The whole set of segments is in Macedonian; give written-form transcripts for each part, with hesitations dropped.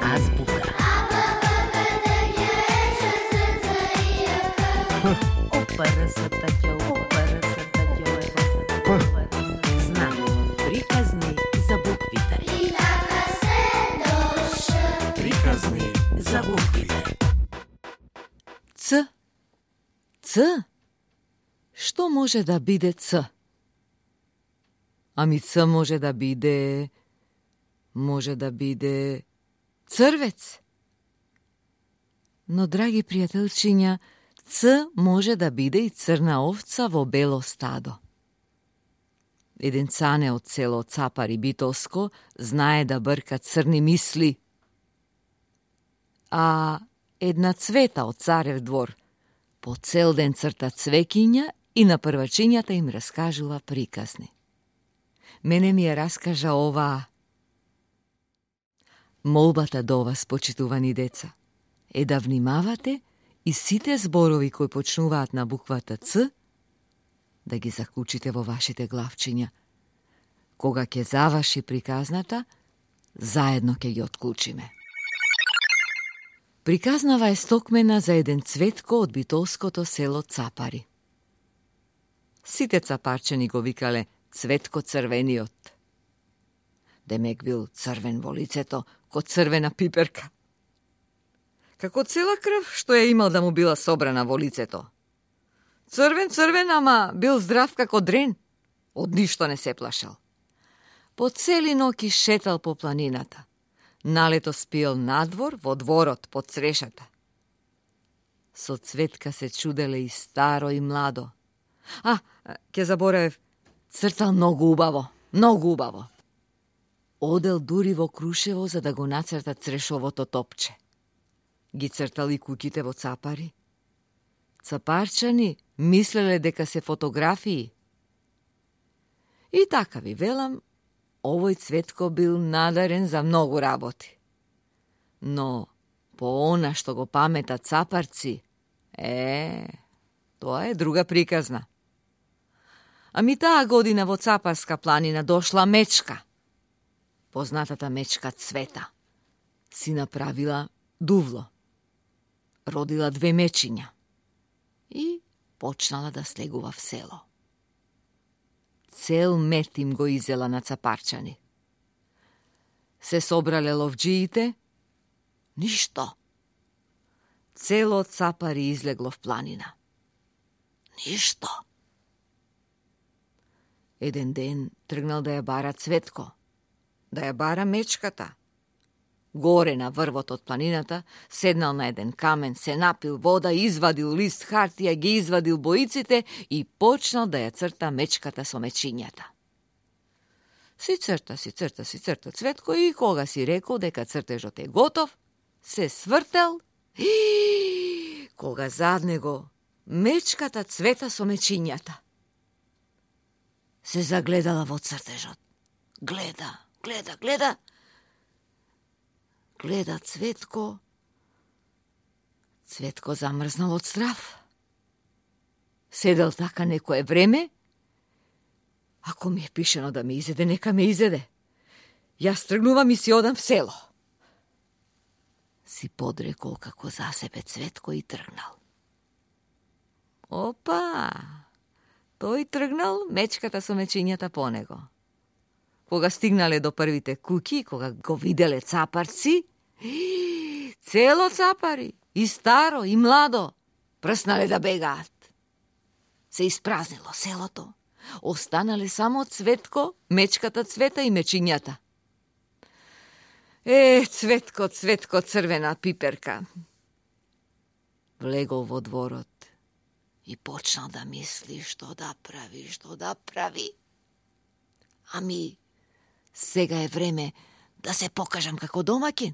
Азбука. Знак. Приказни за буквите. Приказни за буквите. Ц. Ц? Што може да биде Ц? Ами Ц може да биде црвец. Но, драги пријателчиња, Ц може да биде и црна овца во бело стадо. Еден цане од село Цапари Битолско знае да брка црни мисли. А една Цвета од Царев двор по цел ден црта цвекиња и на првачињата им раскажува приказни. Мене ми ја раскажа оваа. Молбата до вас, почитувани деца, е да внимавате и сите зборови кои почнуваат на буквата Ц, да ги заклучите во вашите главчиња. Кога ќе заврши приказната, заедно ќе ги отклучиме. Приказнава е стокмена за еден Цветко од битолското село Цапари. Сите цапарчани го викале Цветко црвениот. Демек бил црвен во лицето, ко црвена пиперка. Како цела крв што ја имал да му била собрана во лицето. Црвен, ама бил здрав како дрен. Од ништо не се плашал. По цели ноќи шетал по планината. Налето спиел надвор во дворот под црешата. Со Цветка се чуделе и старо и младо. Ке заборавев, цртал многу убаво. Одел дури во Крушево за да го нацрта црешовото топче. Ги цртал и куќите во Цапари. Цапарчани мислеле дека се фотографии. И така ви велам, овој Цветко бил надарен за многу работи. Но по она што го памета цапарци, тоа е друга приказна. Ами таа година во Цапарска планина дошла мечка. Познатата мечка Цвета. Си направила дувло. Родила 2 мечиња. И почнала да слегува в село. Цел мет им го изела на цапарчани. Се собрале ловџиите, ништо. Цело Цапари излегло в планина. Ништо. Еден ден тргнал да ја бара Цветко, да ја бара мечката. Горе на врвот од планината, седнал на еден камен, се напил вода, извадил лист хартија, ги извадил боиците и почнал да ја црта мечката со мечињата. Си црта Цветко и кога си рекол дека цртежот е готов, се свртел и кога зад него мечката Цвета со мечињата. Се загледала во цртежот. Гледа Цветко. Цветко замрзнал од страв. Седел така некое време. Ако ми е пишено да ме изеде, нека ме изеде. Јас тргнувам и си одам в село. Си подрекол како за себе Цветко и тргнал. Опа! Тој тргнал, мечката со мечињата по него. Кога стигнале до првите куќи, кога го виделе цапарци, цело Цапари, и старо, и младо, прснале да бегаат. Се испразнило селото. Останале само Цветко, мечката Цвета и мечињата. Цветко, црвена пиперка. Влегол во дворот и почнал да мисли што да прави. Ами, сега е време да се покажам како домаќин.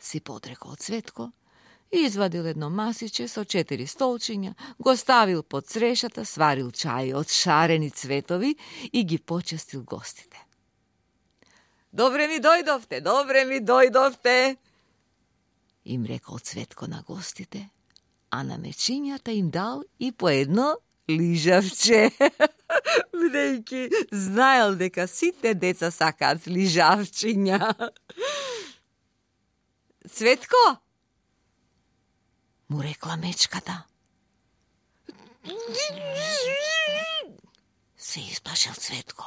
Си подрекол Цветко, извадил едно масиче со 4 столчиња, го ставил под црешата, сварил чај од шарени цветови и ги почестил гостите. Добре ми дојдовте, им рекол Цветко на гостите, а на мечињата им дал и по едно лижавче, бидејќи знаел дека сите деца сакаат лижавчиња. Цветко, му рекла мечката. Се исплашил Цветко.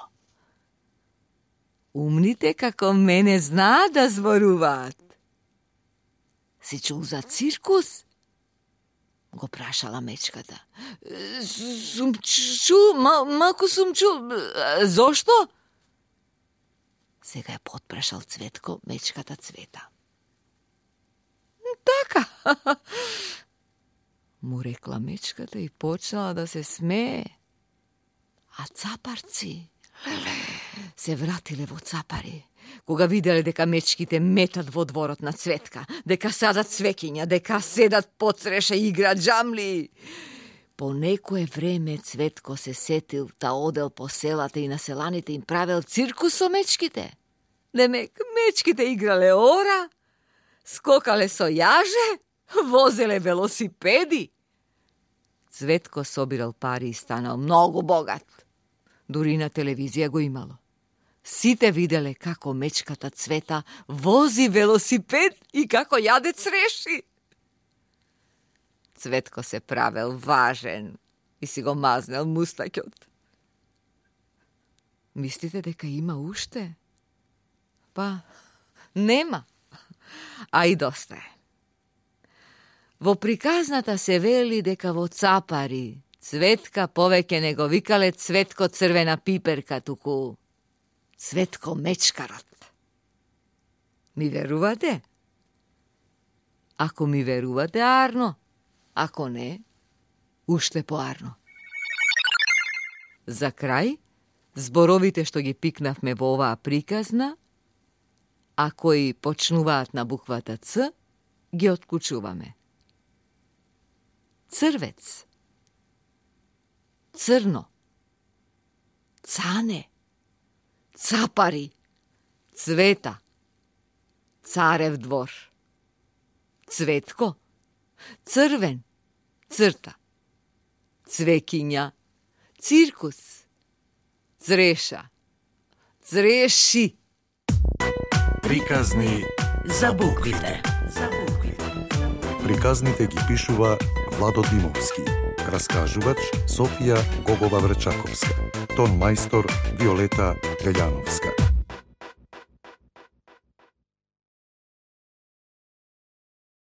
Умните како мене знаат да зборуваат. Си чул за циркус? Го прашала мечката. Сум чул, малку сум чул. Зошто? Сега е потпрашал Цветко мечката Цвета. Така, му рекла мечката и почнала да се смее. А цапарци се вратиле во цапари, кога виделе дека мечките метат во дворот на Цветка, дека садат цвекиња, дека седат подсреша и играат джамли. По некое време Цветко се сетил та одел по селата и на селаните им правел циркус со мечките. Демек, мечките играле ора, скокале со јаже, возеле велосипеди. Цветко собирал пари и станал многу богат. Дури на телевизија го имало. Сите виделе како мечката Цвета вози велосипед и како јаде цреши. Цветко се правел важен и си го мазнел мустаќот. Мислите дека има уште? Па, нема. А и доста е. Во приказната се вели дека во цапари Цветка повеќе не го викале Цветко црвена пиперка, туку Цветко мечкарот. Ми верувате? Ако ми верувате, арно. Ако не, уште поарно. За крај, зборовите што ги пикнавме во оваа приказна, а кои почнуваат на буквата Ц, ги отклучуваме. Црвец, црно, цане, цапари, Цвета, царев двор, Цветко, црвен, црта, цвекиња, циркус, цреша, цреши. Приказни за буквите. Приказните ги пишува Владо Димовски. Раскажувач Софија Гогова Врчаковска. Тон мајстор Виолета Велјановска.